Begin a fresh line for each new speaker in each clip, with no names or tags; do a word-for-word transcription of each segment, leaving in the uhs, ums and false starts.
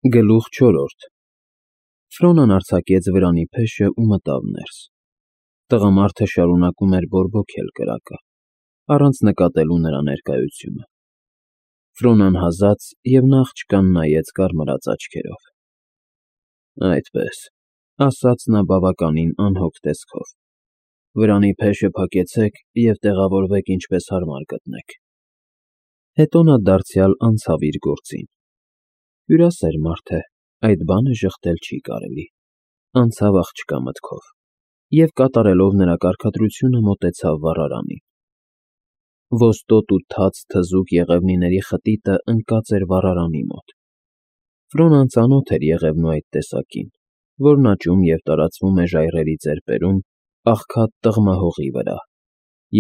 Գլուխ չորրորդ Ֆրոնան արձակեց վրանի փեշը ու մտավ ներս։ Տղամարդը շարունակում էր բորբոքել կրակը, առանց նկատելու նրա ներկայությունը։ Ֆրոնան հազաց և նա աղջկան նայեց կարմրած աչքերով։ Այդպես, ասաց նա բավականին անհոգ տեսքով, վրանի փեշը փակեցեք և տեղավորվեք ինչպես հարմար գտնեք։ Հետո նա դարձյալ անցավ իր գործին։ Հյուրասեր մարդ է, այդ բանը ժխտել չի կարելի, անցավ աղջկա մտքով և կատարելով նրա կարգադրությունը մոտեցավ վառարանին։ Ոստոտ ու թաց թզուկ եղևնիների խտիտը ընկած էր վառարանի մոտ։ Ֆրոնան ծանոթ էր եղևնու այդ տեսակին, որն աճում և տարածվում է ժայռերի ծեպերում աղքատ տղմահողի վրա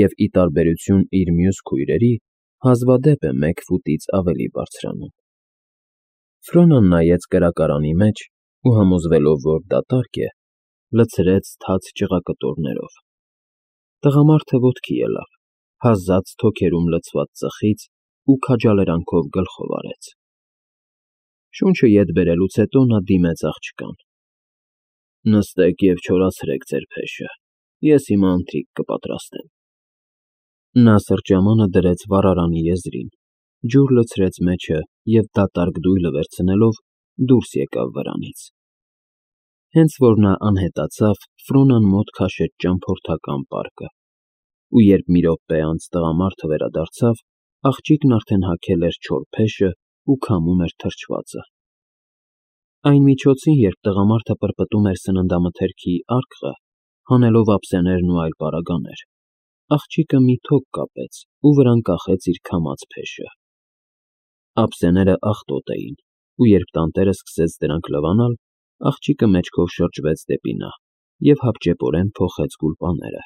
և, ի տարբերություն իր մյուս քույրերի, հազվադեպ է մեկ ֆուտից ավելի բարձրանում։ Ֆրոնան նայեց կրակարանի մեջ ու, համոզվելով, որ դատարկ է, լցրեց թաց ճղակտորներով։ Տղամարդը ոտքի ելավ, հազաց թոքերում լցված ծխից ու քաջալերանքով գլխով արեց։ Շունչը ետ բերելուց հետո նա դիմեց աղջկան. Նստեք և չորացրեք ձեր փեշը, ես հիմա ընթրիք կպատրաստեմ։ Նա սրճամանը դրեց վառարանի եզրին, ջուր լցրեց մեջը և դատարկ դույլը վերցնելով դուրս եկավ վրանից։ Հենց որ նա անհետացավ, Ֆրոնան մոտ քաշեց ճամփորդական պարկը, ու երբ մի րոպե անց տղամարդը վերադարձավ, աղջիկն արդեն հագել էր չոր փեշն ու քամում էր թրջվածը։ Այն միջոցին, երբ տղամարդը պրպտում էր սննդամթերքի արկղը, հանելով ափսեներն ու այլ պարագաներ, աղջիկը մի թոկ կապեց ու վրան կախեց իր քամած փեշը։ Ափսեները աղտոտ էին, ու երբ տանտերը սկսեց դրանք լվանալ, աղջիկը մեջքով շրջվեց դեպի նա և հապճեպորեն փոխեց գուլպաները։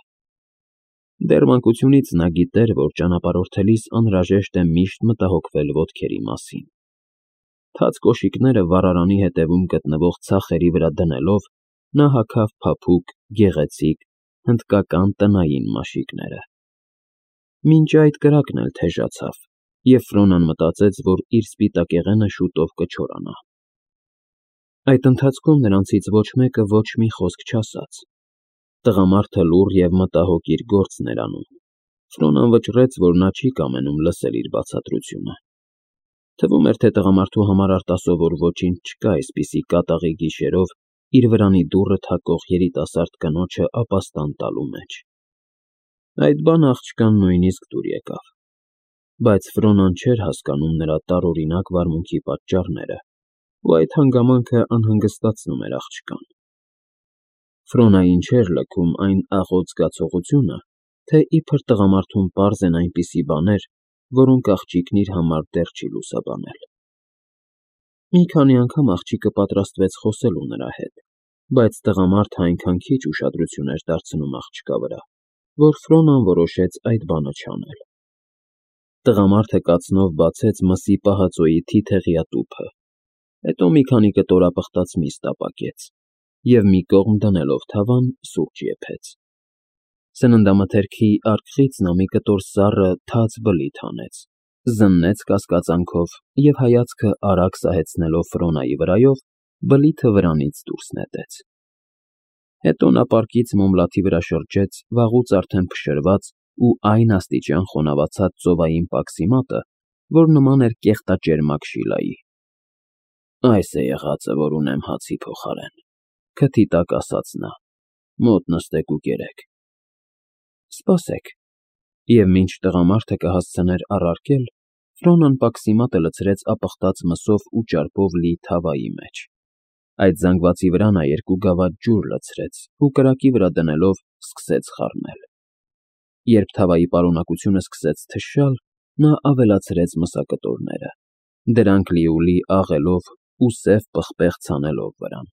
Դեռ մանկությունից նա գիտեր, որ ճանապարհորդելիս անհրաժեշտ է միշտ մտահոգվել ոտքերի մասին։ Թաց կոշիկները վառարանի հետևում գտնվող ցախերի վրա դնելով, նա հագավ փափուկ, գեղեցիկ, հնդկական տնային մաշիկները։ Մինչ այդ կրակն էլ թեժացավ, և Ֆրոնան մտածեց, որ իր սպիտակեղենը շուտով կչորանա։ Այդ ընթացքում նրանցից ոչ մեկը ոչ մի խոսք չասաց։ Տղամարդը լուռ և մտահոգ իր գործն էր անում։ Ֆրոնան վճռեց, որ նա չի կամենում լսել իր բացատրությունը։ Թվում էր, թե տղամարդու համար արտասովոր ոչինչ չկա այսպիսի կատաղի գիշերով իր վրանի դուռը թակող երիտասարդ կնոջը ապաստան տալու մեջ։ Այդ բանը աղջկան նույնիսկ դուր եկավ, բայց Ֆրոնան չէր հասկանում նրա տարօրինակ վարմունքի պատճառները, ու այդ հանգամանքը անհանգստացնում էր աղջկան։ Ֆրոնային չէր լքում այն աղոտ զգացողությունը, թե իբր տղամարդուն պարզ են այնպիսի բաներ, որոնք աղջիկն իր համար դեռ չի լուսաբանել։ Մի քանի անգամ աղջիկը պատրաստվեց խոսելու նրա հետ, բայց տղամարդը այնքան քիչ ուշադրություն էր դարձնում աղջկա վրա, որ Ֆրոնան որոշեց այդ բանը չանել։ Տղամարդը կացնով բացեց մսի պահածոյի թիթեղյա տուփը, հետո մի քանի կտորապխտած միս տապակեց և մի կողմ դնելով թավան սուրճ եփեց։ Սննդամթերքի արկղից նա մի կտոր սառը թաց բլիթ հանեց, զննեց կասկածանքով և հայացքը արագ սահեցնելով Ֆրոնայի վրայով, բլիթը վրանից դուրս նետեց։ Հետո նա պարկից մոմլաթի վրա շրջեց վաղուց արդեն փշրված ու այն աստիճան խոնավացած ծովային պաքսի մատը, որ նման էր կեղտաճերմակ Շիլայի։ Այս է եղածը, որ ունեմ հացի փոխարեն, քթի տակ ասաց նա, մոտ նստեք ու կերեք։ Սպասեք։ Եվ մինչ տղամարդը կհասցներ առարկել, Ֆրոնան պաքսի մատը լցրեց ապխտած մսով ու ճարպով լի թավայի մեջ։ Այդ զանգվածի վրա նա երկու գավաթ ջուր լցրեց ու կրակի վրա դնելով սկսեց խառնել։ Երբ թավայի պարունակությունը սկսեց թշալ, նա ավելացրեց մսակտորները, դրանք լիովլի աղելով ու սև պղպեղ ցանելով վրան։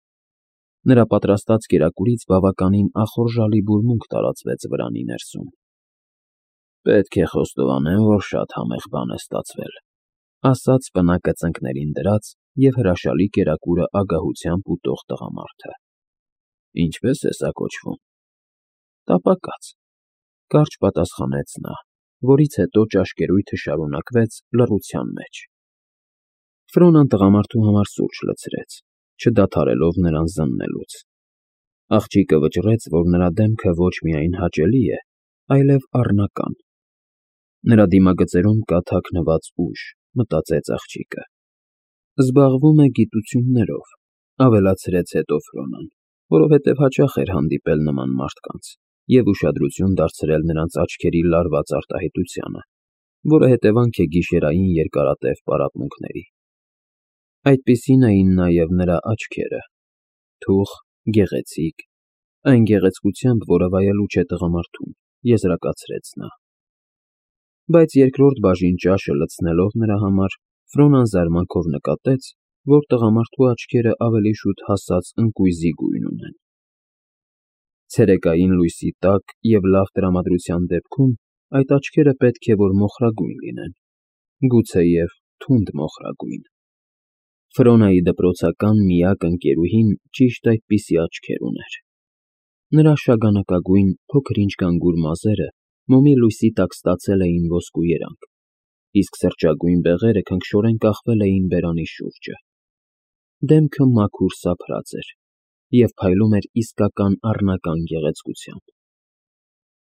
Նրա պատրաստած կերակուրից բավականին ախորժալի բուրմունք տարածվեց վրանի ներսում։ Պետք է խոստովանեմ, որ շատ համեղ բան է ստացվել, ասաց պնակը ծնկներին դրած և հրաշալի կերակուրը ագահությամբ ուտող տղամարդը։ Ինչպե՞ս է սա կոչվում։ Տապակած, կարճ պատասխանեց նա, որից հետո ճաշկերույթը շարունակվեց լռության մեջ։ Ֆրոնան տղամարդու համար սուրճ լցրեց, չդադարելով նրան զննելուց։ Աղջիկը վճռեց, որ նրա դեմքը ոչ միայն հաճելի է, այլև առնական։ Նրա դիմագծերում կա թաքնված ուժ, մտածեց աղջիկը։ Զբաղվում է գիտություններով, ավելացրեց հետո Ֆրոնան, որովհետև հաճախ էր հանդիպել նման մարդկանց և ուշադրություն դարձրել նրանց աչքերի լարված արտահայտությանը, որը հետևանք է գիշերային երկարատև պարապմունքների։ Այդպիսին էին նաև նրա աչքերը, թուխ, գեղեցիկ, այն գեղեցկությամբ, որը վայելուչ է տղամարդուն, եզրակացրեց նա։ Բայց երկրորդ բաժին ճաշը լցնելով նրա համար, Ֆրոնան զարմանքով նկատեց, որ տղամարդու աչքերը ավելի շուտ հասած ընկույզի գույն ունեն։ Ցերեկային լույսի տակ և լավ տրամադրության դեպքում այդ աչքերը պետք է որ մոխրագույն լինեն, գուցեև թունդ մոխրագույն։ Ֆրոնայի դպրոցական միակ ընկերուհին ճիշտ այդպիսի աչքեր ուներ։ Նրա շագանակագույն, փոքր-ինչ գանգուր մազերը մոմի լույսի տակ ստացել էին ոսկու երանգ, իսկ սրճագույն բեղերը քնքշորեն կախվել էին բերանի շուրջը։ Դեմքը մաքուր սափրած էր և փայլում էր իսկական առնական գեղեցկությամբ։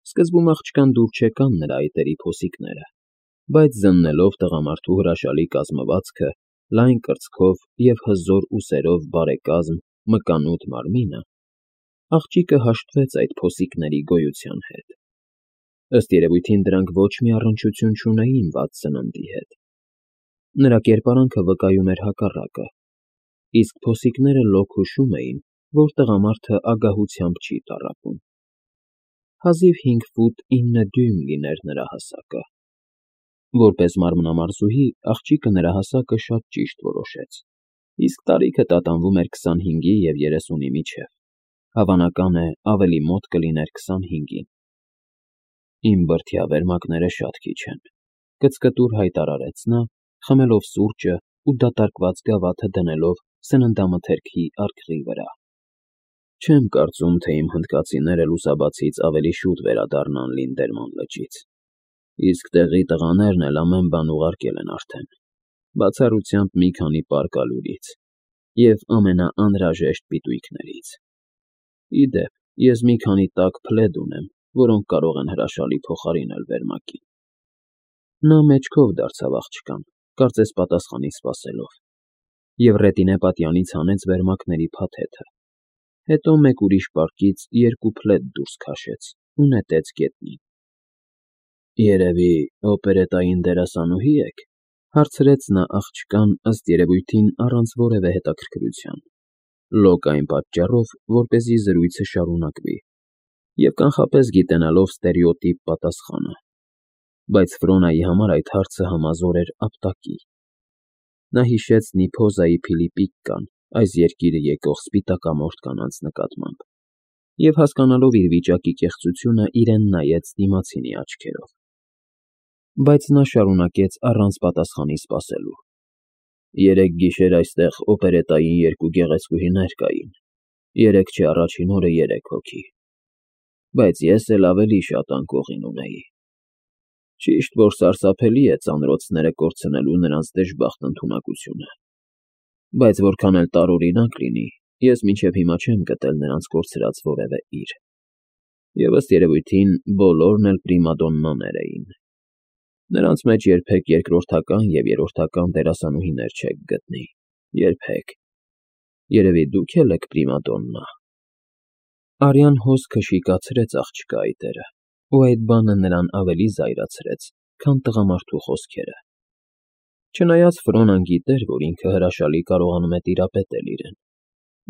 Սկզբում աղջկան դուր չեկան նրա այտերի փոսիկները, բայց զննելով տղամարդու հրաշալի կազմվածքը, լայն կրծքով և հզոր ուսերով բարեկազմ, մկանուտ մարմինը, աղջիկը հաշտվեց այդ փոսիկների գոյության հետ։ Ըստ երևույթին դրանք ոչ մի առնչություն չունեին վատ սննդի հետ։ Նրա կերպարանքը վկայում էր հակառակը, իսկ փոսիկները լոկ հուշում էին, որ տղամարդը ագահությամբ չի տառապում։ Հազիվ հինգ ֆուտ ինը դյույմ լիներ նրա հասակը։ Որպես մարմնամարզուհի աղջիկը նրա հասակը շատ ճիշտ որոշեց, իսկ տարիքը տատանվում էր քսանհինգի և երեսունի միջև, հավանական է ավելի մոտ կլիներ քսանհինգին։ Իմ բրդյա վերմակները շատ քիչ են, կծկտուր հայտարարեց նա, խմելով սուրճը ու դատարկված գավաթը դնելով սննդամթերքի արկղի վրա։ Չեմ կարծում, թե իմ հնդկացիները լուսաբացից ավելի շուտ վերադառնան Լինդերման լճից, իսկ տեղի տղաներն էլ ամեն բան ուղարկել են արդեն, բացառությամբ մի քանի պարկալուրից և ամենաանհրաժեշտ պիտույքներից։ Ի դեպ, ես մի քանի տաք փլեդ ունեմ, որոնք կարող են հրաշալի փոխարինել վերմակին։ Նա մեջքով դարձավ աղջկան, կարծես պատասխանի սպասելով, և ռետինե պատյանից հանեց վերմակների փաթեթը, հետո մեկ ուրիշ պարկից երկու փլեդ դուրս քաշեց ու նետեց գետնին։ Երևի օպերետային դերասանուհի եք, հարցրեց նա աղջկան, ըստ երևույթին առանց որևէ հետաքրքրության, լոկ այն պատճառով, որպեսզի զրույցը շարունակվի, և կանխապես գիտենալով ստերեոտիպ պատասխանը, բայց Ֆրոնայի համար այդ հարցը համազոր էր ապտակի։ Նա հիշեց Նիփոզայի Փիլիպպիկկան այս երկիրը եկող սպիտակամորթ կանանց նկատմամբ և հասկանալով իր վիճակի կեղծությունը իրեն նայեց դիմացինի աչքերով։ Բայց նա շարունակեց առանց պատասխանի սպասելու. Երեկ գիշեր այստեղ օպերետային երկու գեղեցկուհիներ կային, երեկ չէ առաջին օրը երեք հոգի, բայց ես էլ ավելի շատ անկողին ունեի։ Ճիշտ որ սարսափելի է ծանրոցները կորցնելու նրանց դժբախտ ընդունակությունը, բայց որքան էլ տարօրինակ լինի, ես մինչև հիմա չեմ գտել նրանց կորցրած որևէ իր, և ըստ երևույթին բոլորն էլ պրիմադոննաներ էին։ Նրանց մեջ երբեք երկրորդական և երրորդական դերասանուհիներ չեք գտնի, երբեք։ Երևի դուք էլ եք պրիմադոննա։ Արյան հոսքը շիկացրեց աղջկա այտերը, ու այդ բանը նրան ավելի զայրացրեց, քան տղամարդու խոսքերը։ Չնայած Ֆրոնան գիտեր, որ ինքը հրաշալի կարողանում է տիրապետել իրեն,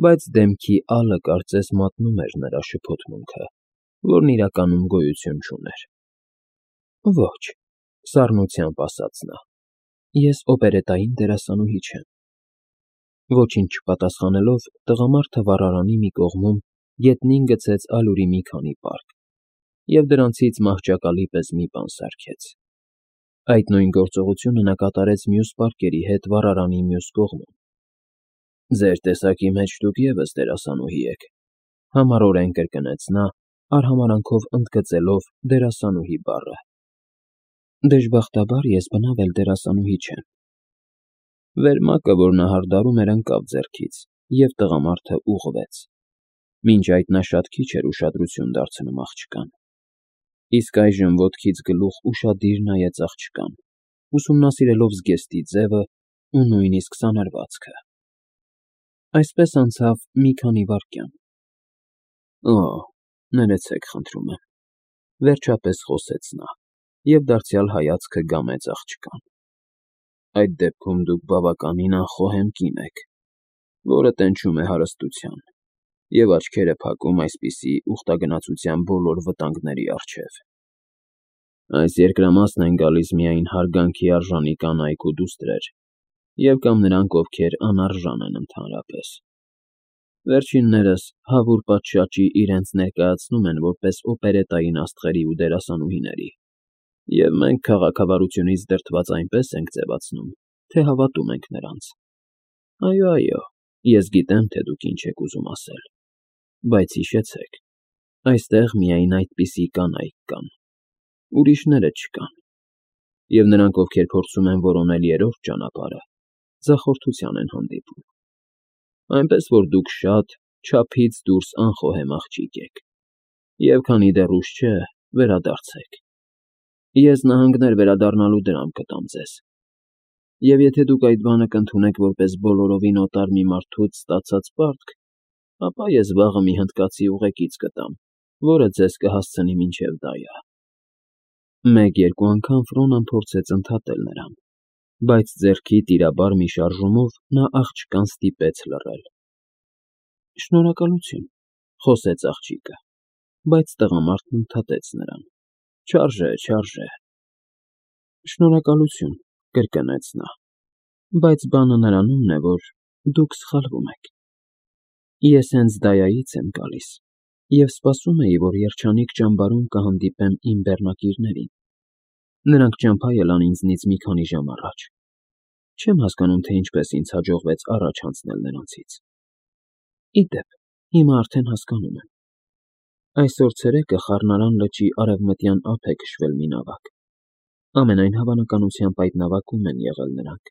բայց դեմքի ալը կարծես մատնում էր նրա շփոթմունքը, որն իրականում գոյություն չուներ։ Ոչ, սառնությամբ ասաց նա, ես օպերետային դերասանուհի չեմ։ Ոչինչ չպատասխանելով, տղամարդը վառարանի մի կողմում գետնին գցեց ալյուրի մի քանի պարկ և դրանցից մահճակալի պես մի բան սարքեց։ Այդ նույն գործողությունը նա կատարեց մյուս պարկերի հետ վառարանի մյուս կողմում։ Ձեր տեսակի մեջ դուք ևս դերասանուհի եք, համառորեն կրկնեց նա, արհամարհանքով ընդգծելով դերասանուհի բառը։ Դժբախտաբար ես բնավ էլ դերասանուհի չեմ։ Վերմակը, որ նա հարդարում էր, ընկավ ձեռքից, և տղամարդը ուղղվեց. մինչ այդ նա շատ քիչ էր ուշադրություն դարձնում աղջկան, իսկ այժմ ոտքից գլուխ ուշադիր նայեց աղջկան, ուսումնասիրելով զգեստի ձևն ու նույնիսկ սանրվածքը։ Այսպես անցավ մի քանի վայրկյան։ «Օ՜, ներեցեք, խնդրում եմ,֊ վերջապես խոսեց նա և դարձյալ հայացքը գամեց աղջկան,֊ այդ դեպքում դուք բավականին անխոհեմ կին եք, որը տենչում է հարստության և աչքերը փակում այսպիսի ուխտագնացության բոլոր վտանգների առջև։ Այս երկրամասն են գալիս միայն հարգանքի արժանի կանայք ու դուստրեր և կամ նրանք, ովքեր անարժան են ընդհանրապես։ Վերջիններս հավուր պատշաճի իրենց ներկայացնում են որպես օպերետային աստղերի ու դերասանուհիների, և մենք քաղաքավարությունից դրդված այնպես ենք ձևացնում, թե հավատում ենք նրանց։ Այո, այո, ես գիտեմ, թե դուք ինչ եք ուզում ասել, բայց հիշեցեք, այստեղ միայն այդպիսի կանայք կան, ուրիշները չկան, և նրանք, ովքեր փորձում են որոնել երրորդ ճանապարհը, ձախորդության են հանդիպում։ Այնպես որ դուք շատ, չափից դուրս անխոհեմ աղջիկ եք, և քանի դեռ ուշ չէ, վերադարձեք։ Ես նահանգներ վերադառնալու դրամ կտամ ձեզ, և եթե դուք այդ բանը կընդունեք որպես բոլորովին օտար մի մարդուց ստացած պարտք, ապա ես վաղը մի հնդկացի ուղեկից կտամ, որը ձեզ կհասցնի մինչև Դայա։ Մեկ֊երկու անգամ Ֆրոնան փորձեց ընդհատել նրան, բայց ձեռքի տիրաբար մի շարժումով նա աղջկան ստիպեց լռել։ Շնորհակալություն,֊ խոսեց աղջիկը, բայց տղամարդն ընդհատեց նրան. Չարժե, չարժե։ Շնորհակալություն,֊ կրկնեց նա, բայց բանը նրանումն է, որ դուք սխալվում եք։ Ես հենց Դայայից եմ գալիս և սպասում էի, որ երջանիկ ճամբարում կհանդիպեմ իմ բեռնակիցներին։ Նրանք ճամփա ելան ինձնից մի քանի ժամ առաջ։ Չեմ հասկանում, թե ինչպես ինձ հաջողվեց առաջ անցնել նրանցից։ Ի դեպ, հիմա արդեն հասկանում եմ։ Այսօր ցերեկը Խառնարան լճի արևմտյան ափ է քշվել մի նավակ։ Ամենայն հավանականությամբ այդ նավակում են եղել նրանք,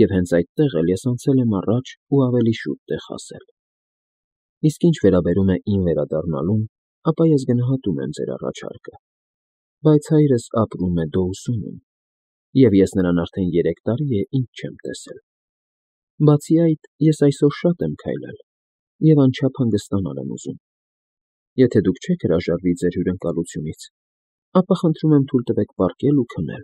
և հենց այդտեղ էլ ես անցել եմ առաջ ու ավելի շուտ տեղ հասել։ Իսկ ինչ վերաբերում է իմ վերադառնալուն, ապա ես գնահատում եմ ձեր առաջարկը, բայց հայրս ապրում է Դոուսոնում, և ես նրան արդեն երեք տարի է ինչ չեմ տեսել։ Բացի այդ, ես այսօր շատ եմ քայլել և անչափ հանգստանալ եմ ուզում։ Եթե դուք չեք հրաժարվի ձեր հյուրընկալությունից, ապա խնդրում եմ թույլ տվեք պառկել ու քնել։